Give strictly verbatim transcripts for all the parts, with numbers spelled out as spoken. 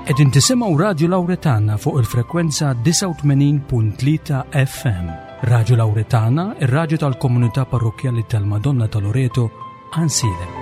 Qegħdin tisimgħu Radju Lawretana fuq il-frekwenza disgħa u tmenin punt tlieta F M. Radju Lawretana, ir-radju tal-Komunità Parrokkjali tal-Madonna ta' Loreto, Għajnsielem.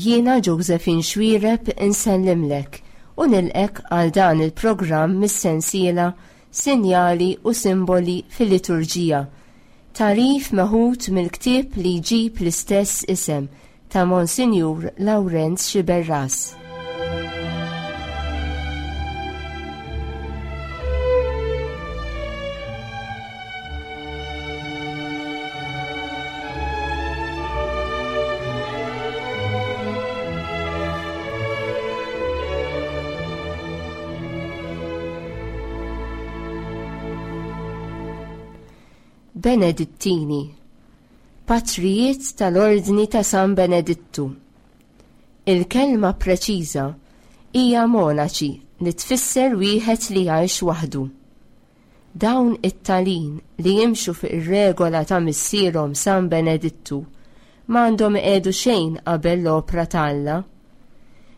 Jiena Josephine Xuereb insellimlek u nilqgħek għal dan il-programm mis-sensiela Sinjali u Simboli fil-Liturġija. Tagħrif meħud mill-ktieb li jġib l-istess isem ta' Monsinjur Lawrenz Sciberras. Benedittini, Patrijiet tal-Ordni ta' San Benedittu. Il-kelma preċiża hija monaċi li tfisser wieħed li jgħix waħdu. Dawn it-talin li jimxu fuq ir-regola ta' missierhom San Benedittu m'għandhom iqiegħdu xejn qabel l-opra ta' Alla.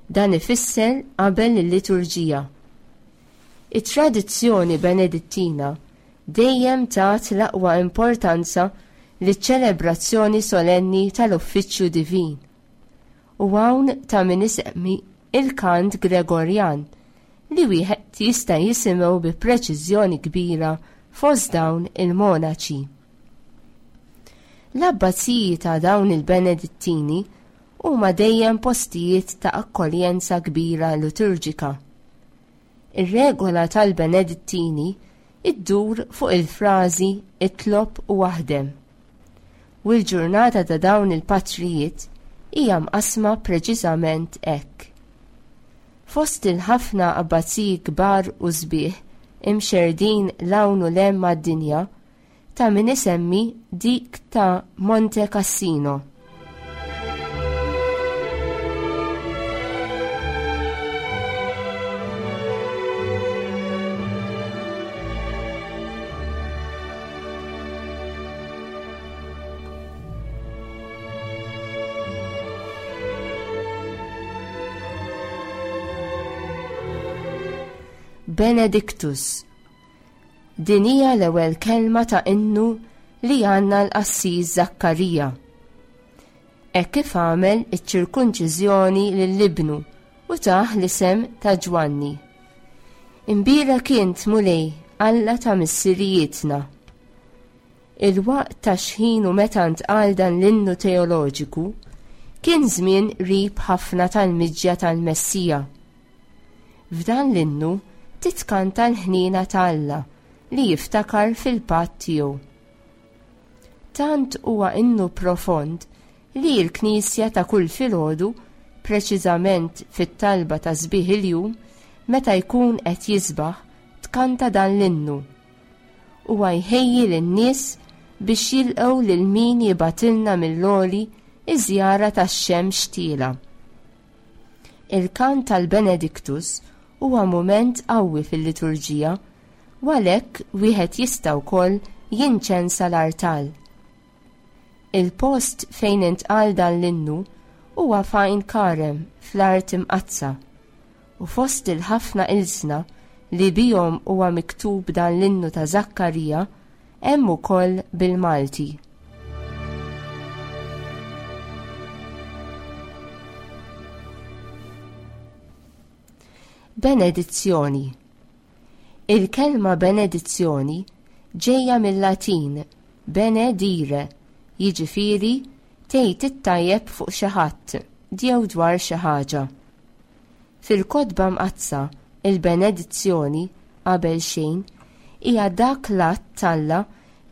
Dan ifisser qabel il-liturġija. It-tradizzjoni benedittina dejjem tat l-aqwa importanza liċ-ċelebrazzjoni solenni tal-Uffiċċju Divin. U hawn ta' min isemmi il-kant Gregorjan li wieħed jista' jisimgħu bi preċiżjoni kbira fost dawn il-monaċi. L-abbaziji ta' dawn il-Benedittini huma dejjem postijiet ta' akkoljenza kbira liturġika. Ir-regola tal-Benedittini iddur fuq il-frażi itlob u aħdem. U l-ġurnata ta' dawn il-patrijiet hija mqasma preċiżament hekk. Fost il-ħafna abbaziji kbar u sbieħ imxerdin 'l hawn u 'l hemm mad-dinja, ta' min isemmi dik ta' Monte Cassino. Benedictus. Din hija l-ewwel kelma ta' innu li għandna l-qassis Zakkarija. Hekk kif għamel iċ-ċirkunċiżjoni lil ibnu u tah l-isem ta' Ġwanni. Imbierek int Mulej, Alla ta' missirijietna. Il-waqt ta' xħin u meta ntqal dan l-innu teoloġiku kien żmien qrib ħafna tal-miġja tal-Messija. F'dan l-innu titkanta l-ħniena ta' Alla li jiftakar fil-patt tiegħu. Tant huwa innu profond li l-Knisja ta' kull filgħodu, preċiżament fit-talba ta' sbieħ il-jum, meta jkun qed jisbaħ, tkanta dan l-innu. Huwa jħejji lin-nies biex jilqgħu lil min jibgħatilna mill-għoli iż-żjara tax-xemx tiela. Il-kant tal-Benedictus huwa mument qawwi fil-liturġija, u għalhekk wieħed jista' wkoll jinċensa l-artal. Il-post fejn intqal dan l-innu huwa f'Għajn Karem fl-Art Imqaddsa, u fost il-ħafna ilsna li bihom huwa miktub dan l-innu ta' Zakkarija hemm ukoll bil-Malti. Benedizzjoni. Il-kelma benedizzjoni ġejja mill-Latin benedire, jiġifieri tgħid it-tajjeb fuq xi ħadd jew dwar xi ħaġa. Fil-Kotba Mqaddsa, il-benedizzjoni qabel xejn hija dak l-att t'Alla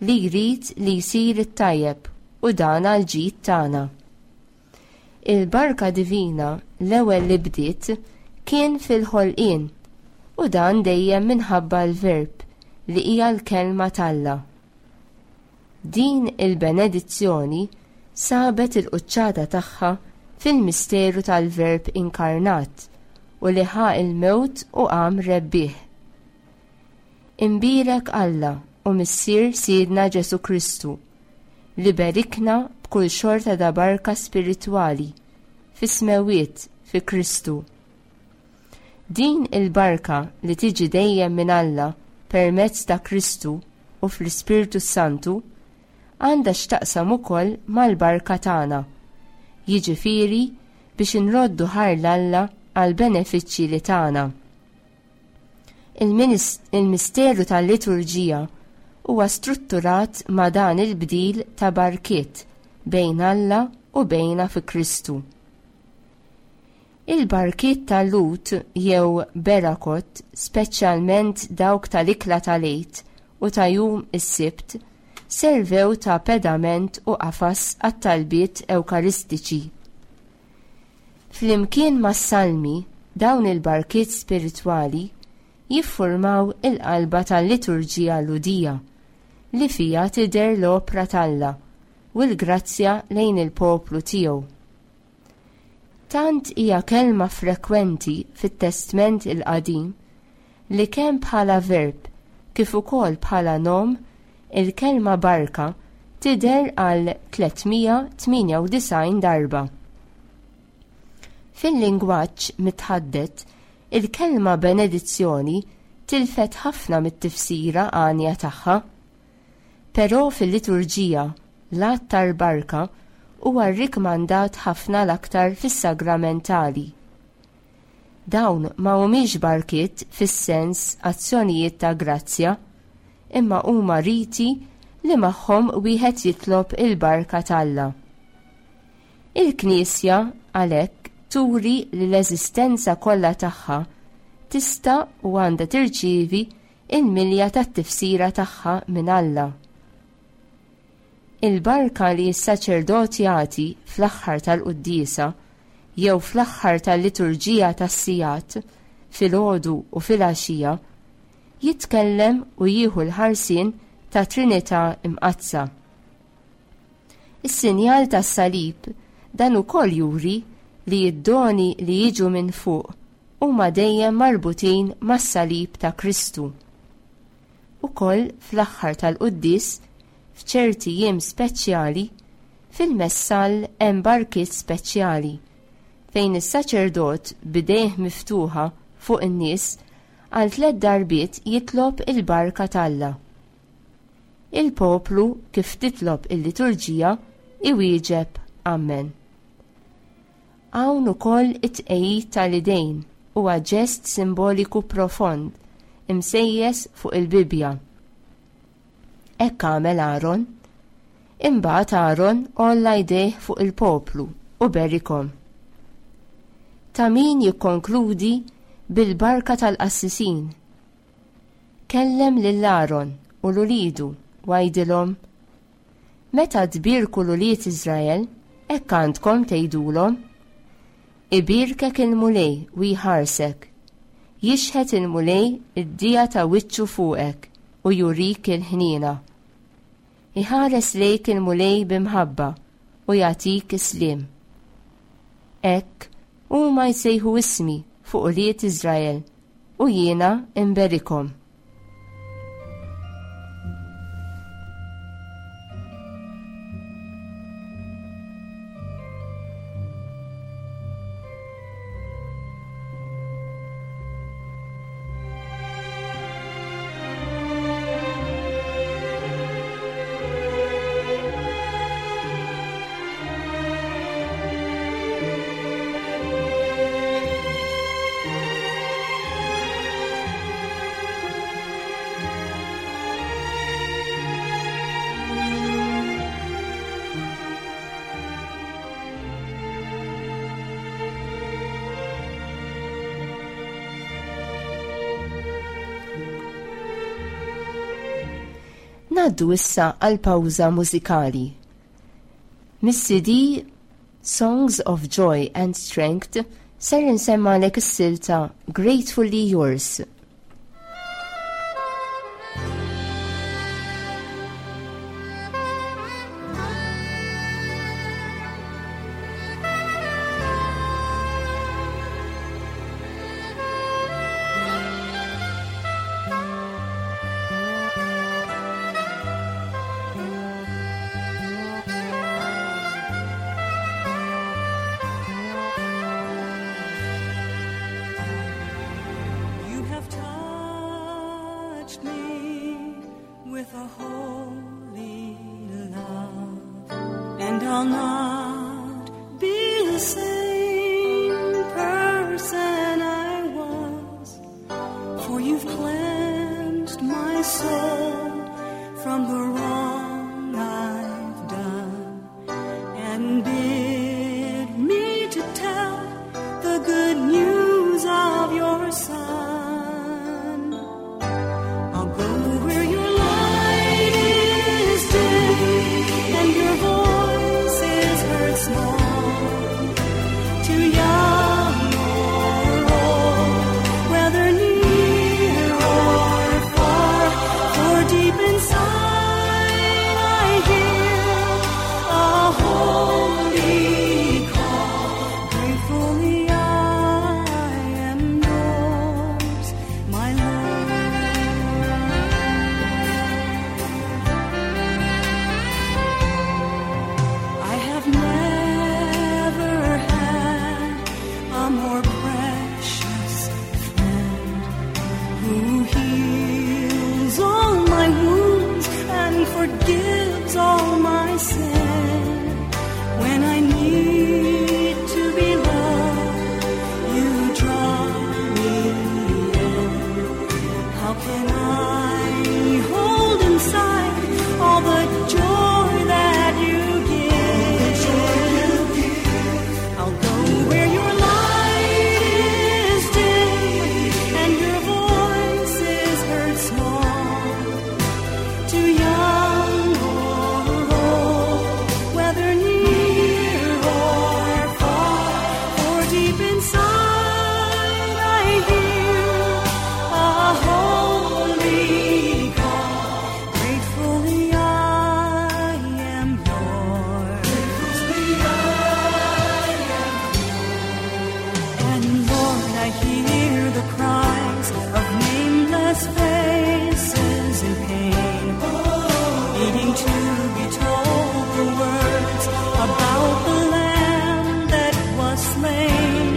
li jrid li jsir it-tajjeb u dan għall-ġid tagħna. Il-barka divina l-ewwel li bdiet kien fil-ħolqien u dan dejjem minħabba l-Verb li hija l-kelma t'Alla. Din il-benedizzjoni sabet il-quċċata tagħha fil-misteru tal-Verb inkarnat u li ħa il-mewt u qam rebbieħ. Imbierek Alla u Missier Sidna Ġesù Kristu li berikna b'kull xorta ta' barka spiritwali fis-smewwiet fi Kristu. Din il-barka li tiġi dejjem minn Alla permezz ta' Kristu u fl-Ispirtu Santu għandha x'taqsam ukoll mal-barka tagħna, jiġifieri biex inroddu ħajr 'l Alla għall-benefiċċji li tagħna. Il-misteru tal-liturġija huwa strutturat ma' dan il-bdil ta' barkiet bejn Alla u bejna fi Kristu. Il-barkiet tal-Lhud jew berakot, speċjalment dawk tal-ikla tal-Għid u ta' jum is-Sibt, servew ta' pedament u qafas għat-talbiet ewkaristiċi. Flimkien mas-salmi, dawn il-barkiet spiritwali jiffurmaw il-qalba tal-liturġija Lhudija li fija tidher l-opra t'Alla u l-grazzja lejn il-poplu tiegħu. Tant hija kelma frekwenti fit-Testment il-Qadim li kemm bħala verb kif ukoll bħala nom il-kelma barka tidher għal tliet mija tmienja u disgħin darba. Fil-lingwaġġ mitħaddet, il-kelma benedizzjoni tilfet ħafna mit-tifsira għanja tagħha. Però fil-liturġija, l-att tal-barka huwa rrikmandat ħafna l-aktar fis-sagramentali. Dawn ma humiex barkiet fis-sens azzjonijiet ta' grazzja, imma huma riti li magħhom wieħed jitlob il-barka t'Alla. Il-Knisja għalhekk turi li l-eżistenza kollha tagħha tista' u għandha tirċievi il-milja tat-tifsira tagħha minn Alla. Il-barka li s-saċerdot jagħti fl-aħħar tal-quddiesa jew fl-aħħar tal-liturġija tas-sigħat filgħodu u filgħaxija jitkellem u jieħu l-ħarsien ta' Trinità Imqaddsa. Is-sinjal tas-salib dan ukoll juri li d-doni li jiġu minn fuq huma dejjem marbutin mas-salib ta' Kristu. Ukoll fl-aħħar tal-quddies, f'ċerti jiem speċjali, fil-messal hemm barkiet speċjali fejn is-saċerdot b'idejh miftuħa fuq in-nies għal tliet darbiet jitlob il-barka t'Alla. Il-poplu kif titlob il-liturġija iwieġeb Amen. Hawn ukoll it-tqegħid tal-idejn huwa ġest simboliku profond imsejjes fuq il-Bibbja. Hekk għamel Aaron. Imbagħad Aaron għolla jdejh fuq il-poplu u berikhom. Ta' min jikkonkludi bil-barka tal-qassisin. Kellem lil Aaron u 'l uliedu u għidilhom: Meta tbierku l-ulied Iżrael, hekk għandkom tgħidulhom: Ibierkek il-Mulej u jħarsek, jixħet il-Mulej id-dija ta' wiċċu fuqek u jurik il-ħniena. Iħares lejk il-Mulej b'imħabba u jagħtik is-sliem. Hekk huma jsejħu ismi fuq ulied Iżrael u jiena imberikhom. Ngħaddu issa għal pawża mużikali. Mis-C D Songs of Joy and Strength ser insemmagħlek is-silta Gratefully Yours. You have touched me with a holy love, and I'll not be the same person I was, for you've cleansed my soul from the wrong I've done, and bid me to tell the good news of your Son. I'll go where your light is dim and your voice is heard small, to young or old, whether near or far, for deep inside I hear a holy call. Gratefully I am yours, my Lord. I have never had a more precious friend who heals all my wounds and forgives all my sin. When I need to be loved, you draw me in. How can I hold inside all the joy that you give? I'll go where your light is dim and your voice is heard small, to young or old, whether near or far, for deep inside I hear a holy call. Gratefully I am yours. And Lord, I hear the cries of nameless faces in pain, needing to be told the words about the Lamb that was slain.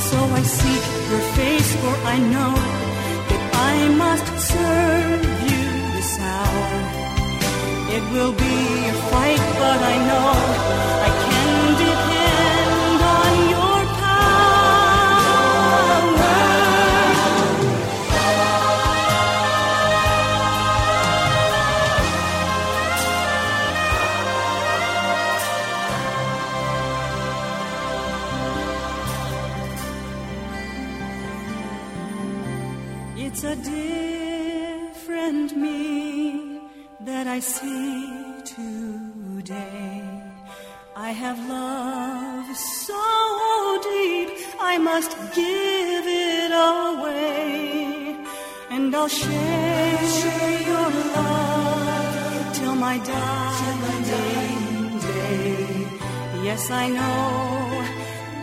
So I seek your face, for I know that I must serve you this hour. It will be a fight, but I know I can depend on your power. It's a different me that I see today. I have love so deep, I must give it away. And I'll share your love till my dying day. Yes, I know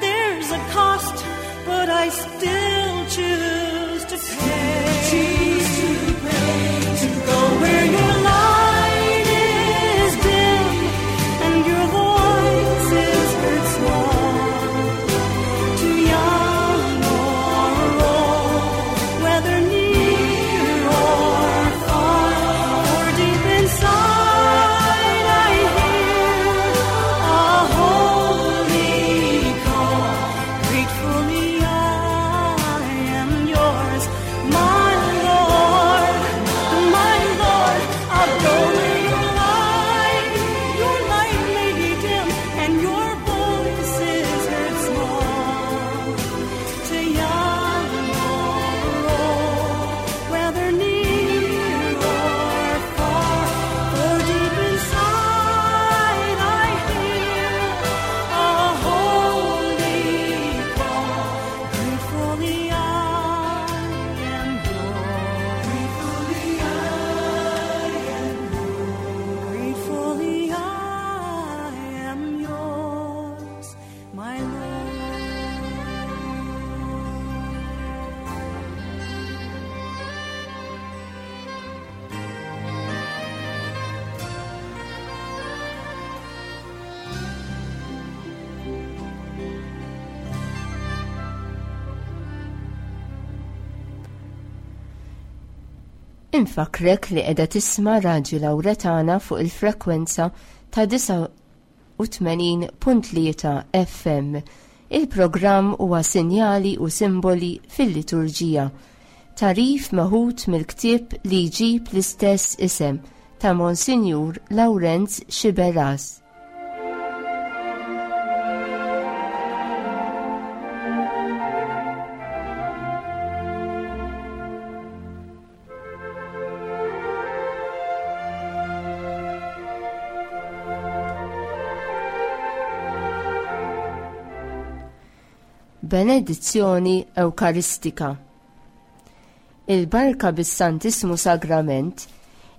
there's a cost, but I still choose to pay. Choose to pay to go where your light is dim and your voice is heard small, to young or old, whether near or far, for deep inside I hear a holy call. Gratefully I am yours, my Lord, my Lord. Infakrek li qiegħda tisma' Radju Lawretana fuq il-frekwenza ta' disgħa u tmenin punt tlieta F M. Il-programm huwa Sinjali u Simboli fil-Liturġija. Tarif meħud mill-ktieb li jġib l-istess isem ta' Monsinjur Lawrenz Sciberras. Benedizzjoni Ewkaristika. Il-barka bis-Santissmu Sagrament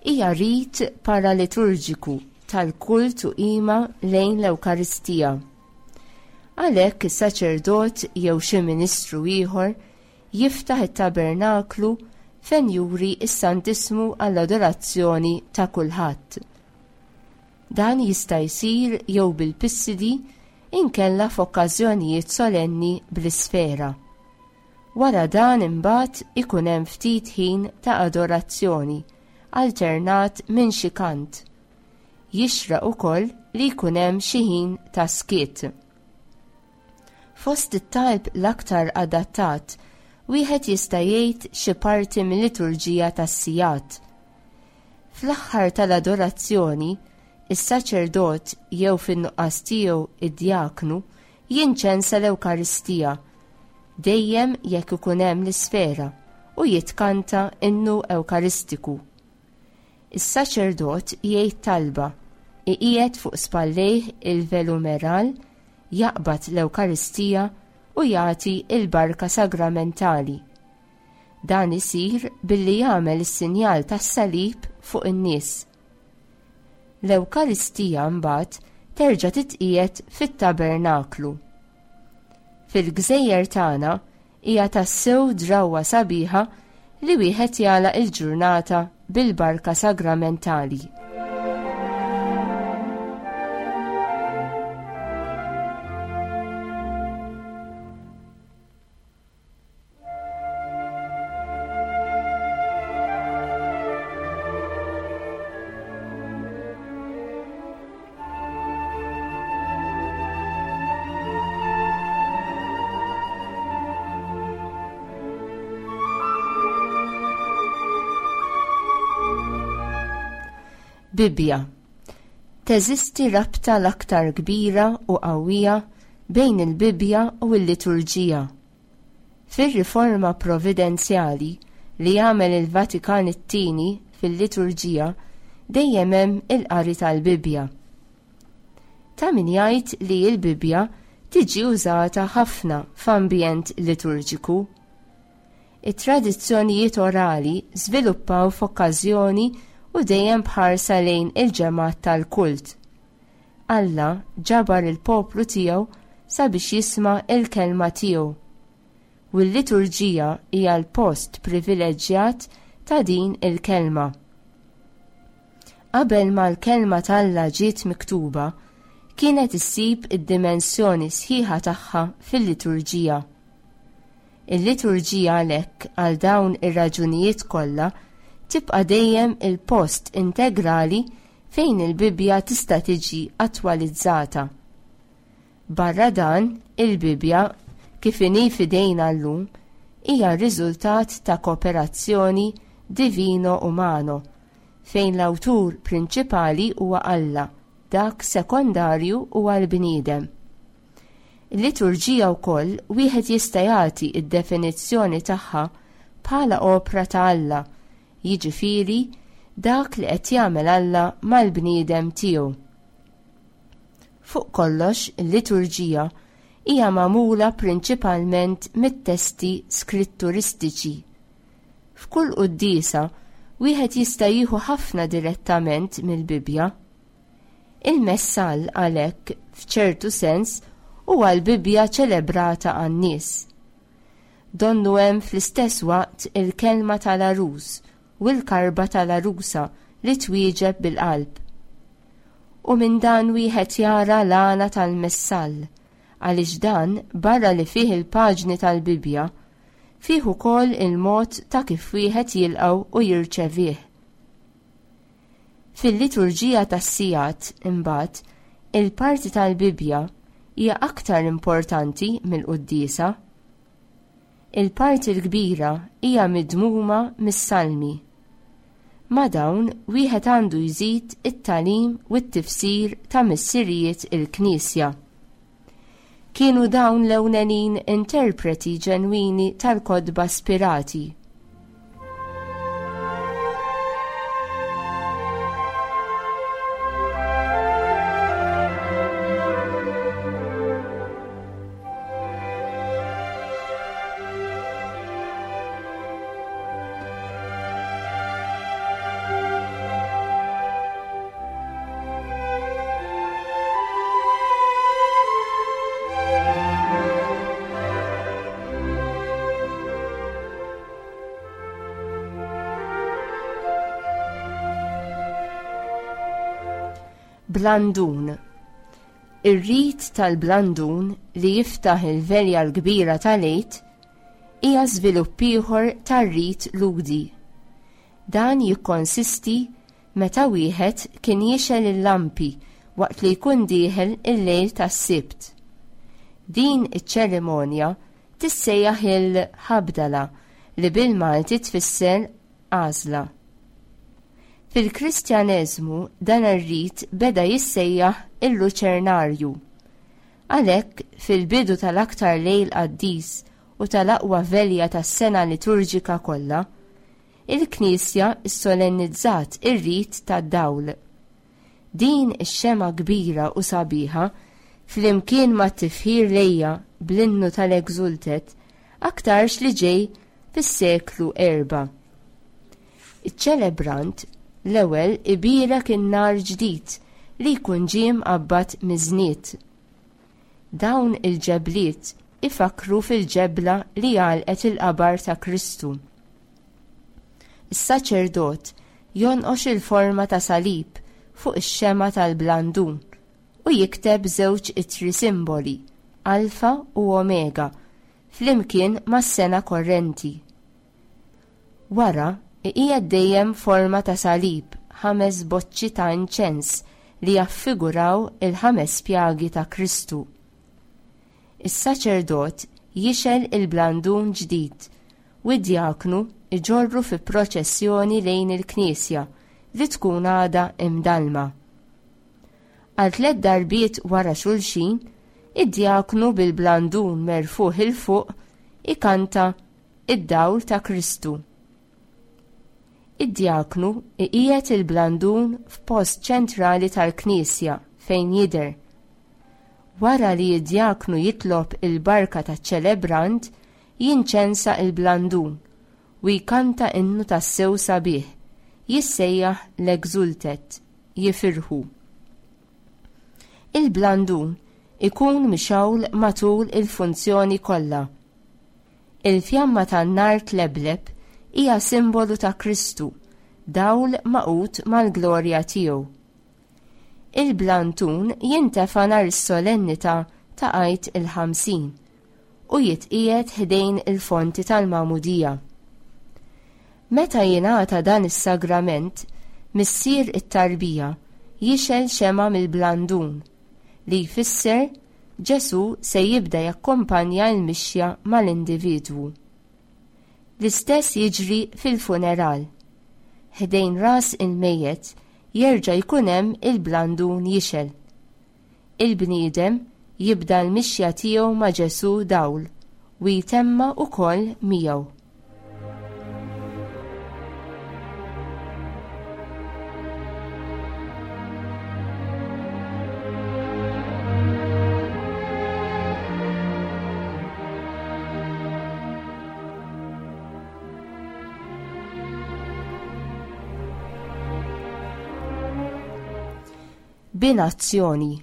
hija rit paraliturġiku tal-kult u qima lejn l-Ewkaristija. Għalhekk is-saċerdot jew xi ministru ieħor jiftaħ it-tabernaklu fejn juri s-Santissmu għall-adorazzjoni ta' kulħadd. Dan jista' jsir jew bil-pissidi inkella f'okkażjonijiet solenni bl-isfera. Wara dan imbagħad ikun hemm ftit ħin ta' adorazzjoni alternat minn xi kant. Jixraq ukoll li jkun hemm xi ħin ta' skiet. Fost it-talb l-aktar adattat, wieħed jista' jgħid xi parti mill-liturġija tas-sigħat. Fl-aħħar tal-adorazzjoni, is-saċerdot jew fin-nuqqas tiegħu id-djaknu jinċensa l-Ewkaristija, dejjem jekk ikun hemm l-isfera, u jitkanta innu Ewkaristiku. Is-saċerdot jgħid talba, iqiegħed fuq spallejh il-velumeral, jaqbad l-Ewkaristija u jagħti l-barka sagramentali. Dan isir billi jagħmel is-sinjal tas-salib fuq in-nies. L-Ewkaristija mbagħad terġa' titqiegħed fit-tabernaklu. Fil-gżejjer tagħna hija tassew drawwa sabiħa li wieħed jagħlaq il-ġurnata bil-barka sagramentali. Bibbja. Teżisti rabta l-aktar kbira u qawwija bejn il-Bibbja u l-liturġija. Fir-riforma providenzjali li jagħmel il-Vatikan it-tieni fil-liturġija dejjem hemm il-qari tal-Bibbja. Ta' min jgħid li l-Bibbja tiġi użata ħafna f'ambjent liturġiku. It-tradizzjonijiet orali żviluppaw f'okkażjoni u dejjem bħarsa lejn il-ġemgħat tal-kult. Alla ġabar il-poplu tiegħu sabiex jisma' il-kelma tiegħu. U l-liturġija hija l-post privileġġjat ta' din il-kelma. Qabel ma l-kelma t'Alla ġiet miktuba, kienet issib id-dimensjoni sħiħa tagħha fil-liturġija. Il-liturġija għalhekk għal dawn ir-raġunijiet kollha tibqa' dejjem il-post integrali fejn il-Bibbja tista' tiġi attwalizzata. Barra dan, il-Bibbja, kif inhi f'idejna llum, hija r-riżultat ta' kooperazzjoni divino-umano, fejn l-awtur prinċipali huwa Alla, dak sekondarju huwa l-bniedem. Il-liturġija wkoll wieħed jista' jagħti d-definizzjoni tagħha bħala opra ta' Alla, jiġifieri dak li qed jagħmel Alla mal-bniedem tiegħu. Fuq kollox, il-liturġija hija magħmula prinċipalment mit-testi skritturistiċi. F'kull quddiesa wieħed jista' jieħu ħafna direttament mill-Bibbja. Il-messal għalhekk f'ċertu sens huwa l-Bibbja ċelebrata għan-nies. Donnu hemm fl-istess waqt il-kelma tal-għarus u l-karba tal-għarusa li twieġeb bil-qalb. U minn dan wieħed jara l-għana tal-messal, għaliex dan barra li fih il-paġni tal-Bibbja Fih ukoll il-mod ta' kif wieħed jilqgħu u jirċevih. Fil-liturġija tas-sigħat, imbagħad, il-parti tal-Bibbja hija aktar importanti mill-quddiesa. Il-parti l-kbira hija midmuma mis-salmi. Ma' dawn wieħed għandu jżid it-tagħlim u t-tifsir ta' missirijiet il-Knisja. Kienu dawn l-ewlenin interpreti ġenwini tal-kotba spirati. Blandun. Ir-rit tal-blandun li jiftaħ il-velja l-kbira tal-Għid hija żvilupp ieħor tar-rit Lhudi. Dan jikkonsisti meta wieħed kien jixgħel il-lampi waqt li jkun dieħel il-lejl tas-Sibt. Din iċ-ċerimonja tissejjaħ il-ħabdala li bil-Malti tfisser għażla. Fil-Kristjaneżmu dan ir-rit beda jissejjaħ il-luċernarju. Għalhekk fil-bidu tal-aktar lejl qaddis u tal-aqwa velja tas-sena liturġika kollha, il-Knisja ssolennizzat ir-rit tad-dawl. Din ix-xemgħa kbira u sabiħa flimkien mat-tifħir lejha bl-innu tal-Exultet aktarx li ġej fis-seklu erba'. Iċ-ċelebrant l-ewwel ibierek in-nar ġdid li jkun ġie mqabbad miż-żnied. Dawn il-ġebliet ifakru fil-ġebla li għalqet il-qabar ta' Kristu. Is-saċerdot jonqox il-forma ta' salib fuq ix-xemgħa tal-blandun u jikteb żewġ ittri simboli, Alfa u Omega, flimkien mas-sena korrenti. Wara, iqiegħed dejjem forma ta' salib ħames boċċi ta' inċens li jaffiguraw il-ħames pjagi ta' Kristu. Is-saċerdot jixgħel il-blandun ġdid u d-djaknu iġorru fi proċessjoni lejn il-knisja li tkun għadha imdalma. Għal tliet darbiet wara xulxin, id-djaknu bil-blandun merfuħ il fuq ikanta id-dawl ta' Kristu. Id-djaknu iqiegħed il-blandun f'post ċentrali tal-knisja fejn jidher. Wara li d-djaknu jitlob il-barka taċ-ċelebrant, jinċensa il-blandun u jkanta innu tassew sabiħ, jissejjaħ l-Exultet, jifirħu. Il-blandun ikun mixgħul matul il-funzjoni kollha. Il-fjamma tan-nar tlebleb hija simbolu ta' Kristu, dawl magħqud mal-glorja tiegħu. Il-blandun jintefa' nhar is-solennità ta' Għid il-Ħamsin u jitqiegħed ħdejn il-fonti tal-Magħmudija. Meta jingħata dan is-sagrament, missier it-tarbija jixgħel xemgħa mill-blandun li jfisser Ġesù se jibda jakkumpanja l-mixja mal-individwu. L-istess jiġri fil-funeral. Ħdejn ras il-mejjet jerġa' jkun hemm il-blandun jixgħel. Il-bniedem jibda l-mixja tiegħu ma' Ġesù dawl u jtemma wkoll miegħu. Binazzjoni.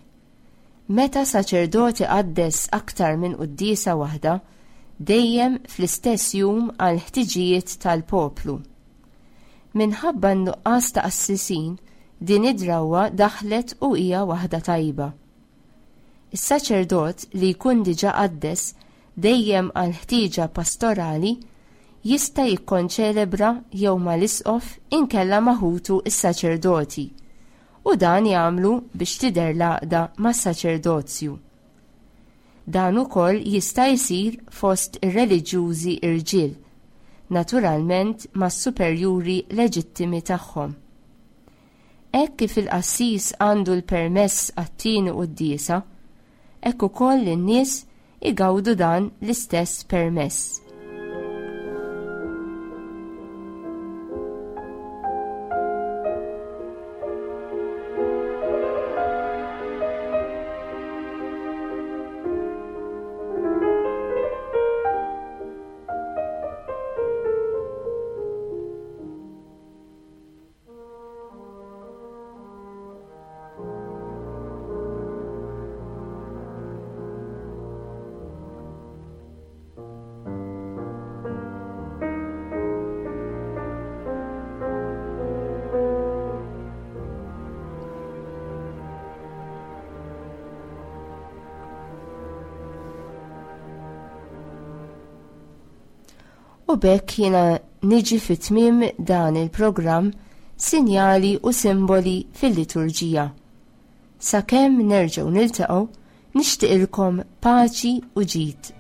Meta saċerdoti qaddes aktar minn quddiesa waħda, dejjem fl-istess jum għal ħtiġijiet tal-poplu. Minħabba n-nuqqas ta' qassisin, din id-drawwa daħlet u hija waħda tajba. Is-saċerdot li jkun diġà qaddes dejjem għal ħtieġa pastorali, jista' jikkonċelebra jew mal-isqof inkella ma' ħutu s-saċerdoti, u dan jagħmlu biex tidher l-għaqda mas-saċerdozju. Dan ukoll jista' jsir fost ir-reliġjużi irġiel, naturalment mas-superjuri leġittimi tagħhom. Hekk kif il-qassis għandu l-permess għat-tieni quddiesa, hekk ukoll in-nies igawdu dan l-istess permess. U b'hekk jiena niġi fi tmiem dan il-programm Sinjali u Simboli fil-Liturġija. Sakemm nerġgħu niltaqgħu, nixtieqilkom paċi u ġid.